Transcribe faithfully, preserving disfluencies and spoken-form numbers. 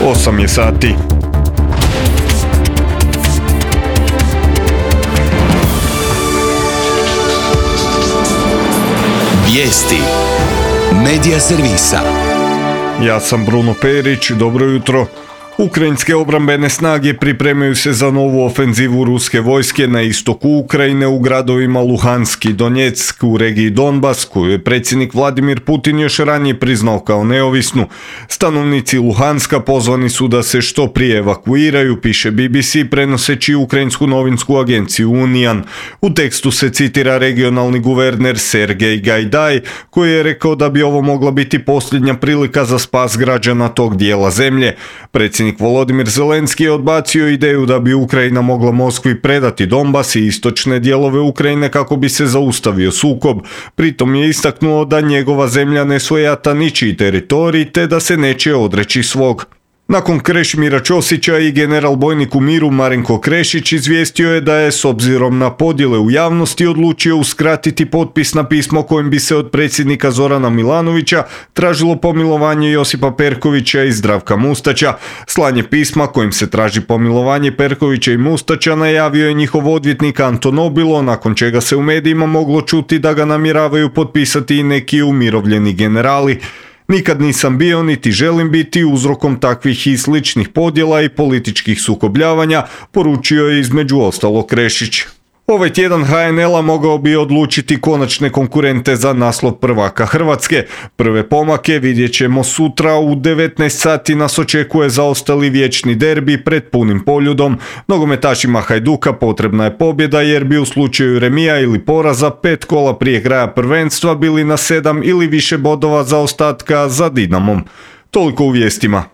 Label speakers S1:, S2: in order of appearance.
S1: osam je sati.
S2: Vijesti Medija servisa.
S1: Ja sam Bruno Perić, dobro jutro. Ukrajinske obrambene snage pripremaju se za novu ofenzivu ruske vojske na istoku Ukrajine u gradovima Luhansk i Donjeck u regiji Donbas, koju je predsjednik Vladimir Putin još ranije priznao kao neovisnu. Stanovnici Luhanska pozvani su da se što prije evakuiraju, piše B B C prenoseći ukrajinsku novinsku agenciju Unian. U tekstu se citira regionalni guverner Sergej Gajdaj, koji je rekao da bi ovo mogla biti posljednja prilika za spas građana tog dijela zemlje. Predsjednik Volodimir Zelenski je odbacio ideju da bi Ukrajina mogla Moskvi predati Donbas i istočne dijelove Ukrajine kako bi se zaustavio sukob. Pritom je istaknuo da njegova zemlja ne svojata ničiji teritorij te da se neće odreći svog. Nakon Krešimira Ćosića i general bojnik u miru Marinko Krešić izvijestio je da je s obzirom na podjele u javnosti odlučio uskratiti potpis na pismo kojim bi se od predsjednika Zorana Milanovića tražilo pomilovanje Josipa Perkovića i Zdravka Mustača. Slanje pisma kojim se traži pomilovanje Perkovića i Mustača najavio je njihov odvjetnik Anton Obilo, nakon čega se u medijima moglo čuti da ga namjeravaju potpisati i neki umirovljeni generali. Nikad nisam bio niti želim biti uzrokom takvih i sličnih podjela i političkih sukobljavanja, poručio je između ostalog Krešić. Ovaj tjedan H N L-a mogao bi odlučiti konačne konkurente za naslov prvaka Hrvatske. Prve pomake vidjet ćemo sutra u devetnaest sati, nas očekuje zaostali vječni derbi pred punim Poljudom. Nogometašima Hajduka potrebna je pobjeda jer bi u slučaju remija ili poraza pet kola prije kraja prvenstva bili na sedam ili više bodova zaostatka za Dinamom. Toliko u vijestima.